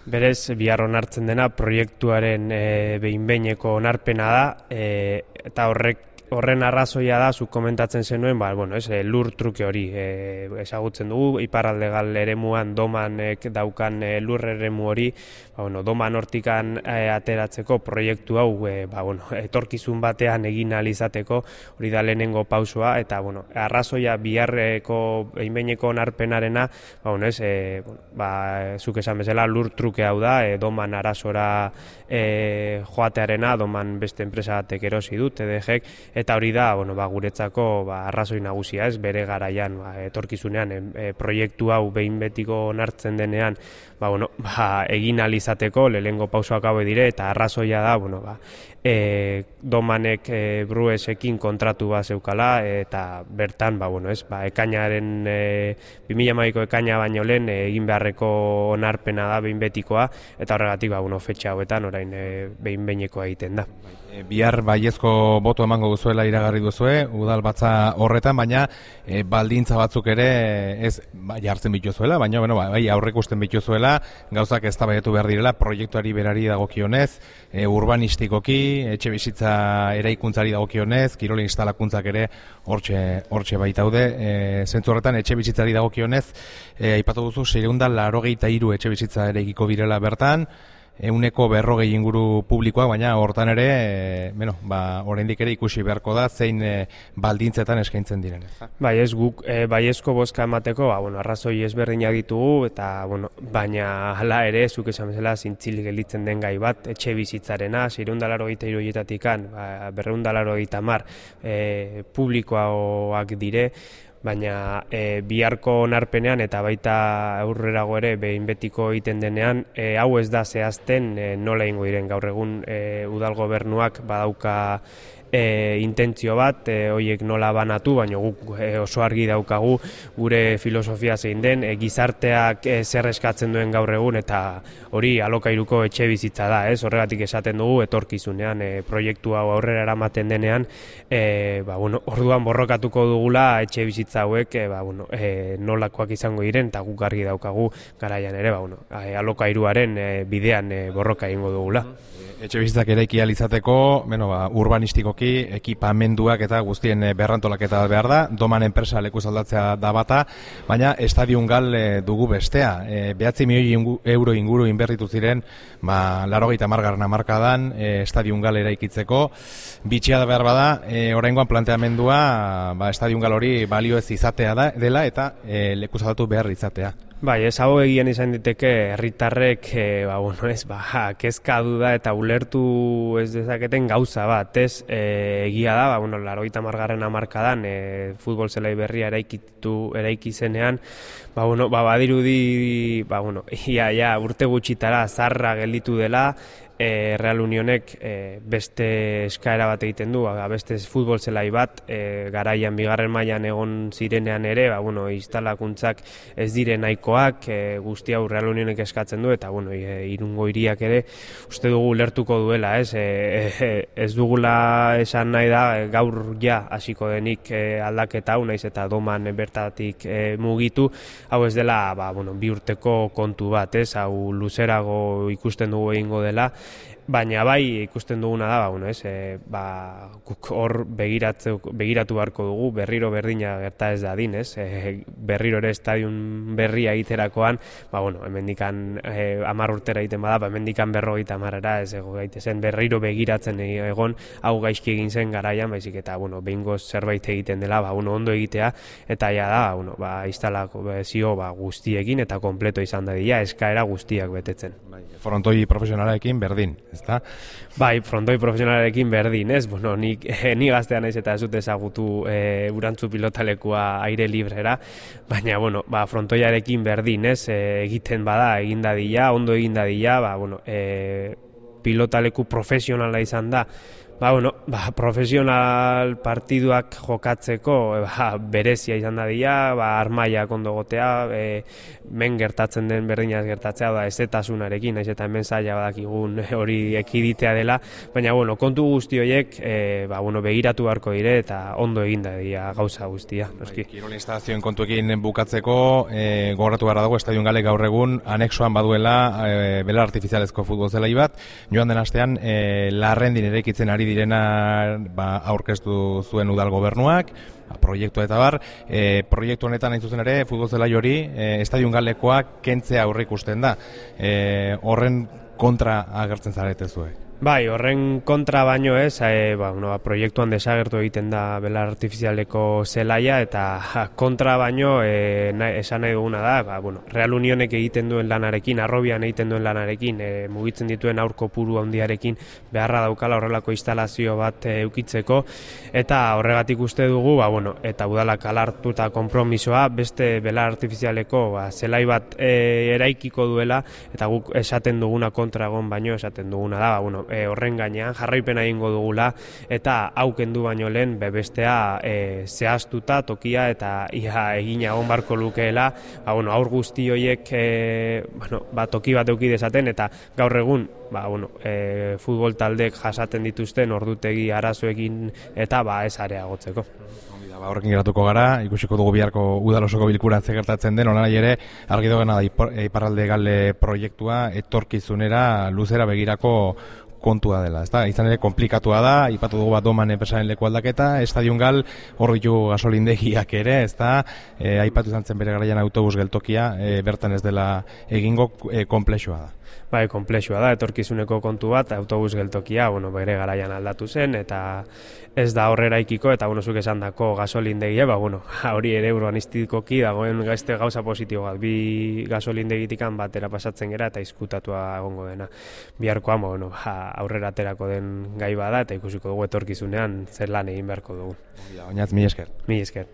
Berez, bihar onartzen dena proiektuaren behin-behineko onarpena da, eta horren arrazoia da, zuk komentatzen zenuen, lur truke hori ezagutzen dugu, iparralde gal eremuan domanek daukan lur eremu hori, doman hortikan ateratzeko proiektu hau etorkizun batean egin ahal izateko, hori da lehenengo pausua, eta arrazoia biharreko behin-behineko onarpenarena, zuk esan bezala lur truke hau da, doman arazora joatearena, doman beste enpresa batek erosi du, TDG-ek, eta hori da, guretzako arrazoi nagusia, ez, bere garaian, etorkizunean, proiektu hau behin betiko onartzen denean, egin ahal izateko, lehenengo pausoak hau dire, eta arrazoia da, domanek Bruesekin kontratu bat zeukala, eta bertan, ekainaren, 2012ko ekaina baino lehen, egin beharreko onarpena da behin betikoa, eta horregatik, fetxa hauetan, orain behin-behinekoa egiten da. Bihar baiezko boto emango duzuela iragarri duzue, udalbatza horretan, baina baldintza batzuk ere ez jartzen bituzuela, baina aurrekusten bituzuela, gauzak eztabaidatu behar direla, proiektuari berari dagokionez, urbanistikoki, etxe bizitza eraikuntzari dagokionez, kirol instalakuntzak ere hortxe baitaude, zentzu horretan etxe bizitzari dagokionez, aipatu duzu 683 etxe bizitza eraikiko birela bertan, 140 inguru publikoak, baina hortan ere, oraindik ere ikusi beharko da zein baldintzetan eskaintzen diren. Bai, ez guk baiezko bozka emateko, arrazoi ezberdinak ditugu, eta baina hala ere, zuk esan bezala zintzilik gelditzen den gai bat, etxe bizitzarena, 683 horietatik 280 publikoak dire, baina biharko onarpenean eta baita aurrerago ere behin betiko egiten denean, hau ez da zehazten nola egingo diren. Gaur egun udal gobernuak badauka intentzio bat, horiek nola banatu, baina guk oso argi daukagu gure filosofia zein den, gizarteak zer eskatzen duen gaur egun, eta hori alokairuko etxe bizitza da, ez? Horregatik esaten dugu etorkizunean proiektu hau aurrera eramaten denean, orduan borrokatuko dugula etxe bizitza hauek nolakoak izango diren, eta guk argi daukagu garaian ere, alokairuaren bidean borroka egingo dugula. Etxe bizitzak eraiki ahal izateko, urbanistikoki, ekipamenduak eta guztien berrantolaketa behar da, doman enpresa lekuz aldatzea da bata, baina estadion gal dugu bestea. 9 milioi euro inguru inberritu ziren, 80. hamarkadan estadion gal eraikitzeko, bitxia da behar bada, oraingoan planteamendua, estadion gal hori balio ez izatea dela eta lekuz aldatu behar izatea. Bai, ez hau egien izan diteke herritarrek, kezka duda eta ulertu ez dezaketen gauza bat, ez? Egia da, 80. hamarkadan futbol zelai berria eraiki zenean, badirudi, urte gutxitara zarra gelditu dela, Real Unionek beste eskaera bat egiten du, beste futbol zelai bat, garaian bigarren mailan egon zirenean ere, instalakuntzak ez dire nahikoak, guzti hau Real Unionek eskatzen du, eta Irungo hiriak ere uste dugu lertuko duela, ez dugula esan nahi da gaur hasiko denik aldaketa hau, naiz eta doman bertatik mugitu, hau ez dela bi urteko kontu bat, hau luzerago ikusten dugu egingo dela, baina bai ikusten duguna da, hor begiratu beharko dugu, berriro berdina gerta ez da din, berriro ere estadion berria egiterakoan, hemendikan 10 urtera egiten bada, hemendikan 50 ez ego gaitezen, berriro begiratzen egon, hau gaizki egin zen garaian, baizik eta behingoz zerbait egiten dela, ondo egitea, eta da, instalazio guztiekin eta kompleto izan dadila, eskaera guztiak betetzen. Frontoi profesionalarekin berdin, ezta? Bai, frontoi profesionalarekin berdin, ez? Ni gaztea naiz eta ez dut ezagutu Urantzu pilotalekua aire librera, baina, frontoiarekin berdin, ez? Egiten bada, egin dadila, ondo egin dadila, pilotaleku profesionala izan da, Profesional partiduak jokatzeko berezia izan da dira, armaiak ondo gotea, men gertatzen den berdinaz gertatzea da ezetasunarekin, naiz eta hemen zaila badakigun hori ekiditea dela, baina kontu guzti horiek begiratu beharko dire eta ondo eginda dira gauza guztia. Kirol instalazioen kontuekin bukatzeko, gogoratu behar dago, Estadion Galek gaur egun anexoan baduela belar artifizialezko futbol zelai bat, joan den astean Larrendin eraikitzen ari direna aurkeztu zuen udal gobernuak, proiektu eta bar, proiektu honetan hain zuzen ere, futbol zelai hori, Estadion Galekoak kentzea aurreikusten da. Horren kontra agertzen zarete zuek. Bai, horren kontra baino ez, proiektuan desagertu egiten da belar artifizialeko zelaia eta kontra baino esan nahi duguna da, Real Unionek egiten duen lanarekin, Arrobian egiten duen lanarekin, mugitzen dituen aurko puru handiarekin beharra daukala horrelako instalazio bat eukitzeko, eta horregatik uste dugu, eta udalak alartu eta konpromisoa beste belar artifizialeko zelai bat eraikiko duela, eta guk esaten duguna kontra egon baino esaten duguna da, horren gainean jarraipena egingo dugula eta hau kendu baino lehen bestea zehaztuta tokia eta ia egina egon barko lukeela, aur guzti horiek toki bat eduki dezaten eta gaur egun futbol taldeek jasaten dituzten ordutegi arazoekin eta ez areagotzeko. Horrekin geratuko gara, ikusiko dugu biharko udal osoko bilkuran ze gertatzen den, honara ere argi dagoena da Iparralde Gale proiektua etorkizunera luzera begirako kontua dela, ezta? Izan ere komplikatua da, aipatu dugu Doman enpresaren leku aldaketa, Estadion Gal hor ditu gasolindegiak ere, ezta? Aipatu izan zen bere garaian autobus geltokia, bertan ez dela egingo, konplexua da. Bai, konplexua da, etorkizuneko kontu bat, autobus geltokia, bere garaian aldatu zen, eta ez da horrera ikiko, eta zuk esan dako gasolindegia, hori ere urbanistikoki dagoen gauza positibo bat, bi gasolindegitikan batera pasatzen gera, eta izkutatua egongo dena. Biharkoan, aurrera aterako den gai bada, eta ikusiko dugu etorkizunean zer lan egin beharko dugu. Oinatz, mila esker. Mila esker.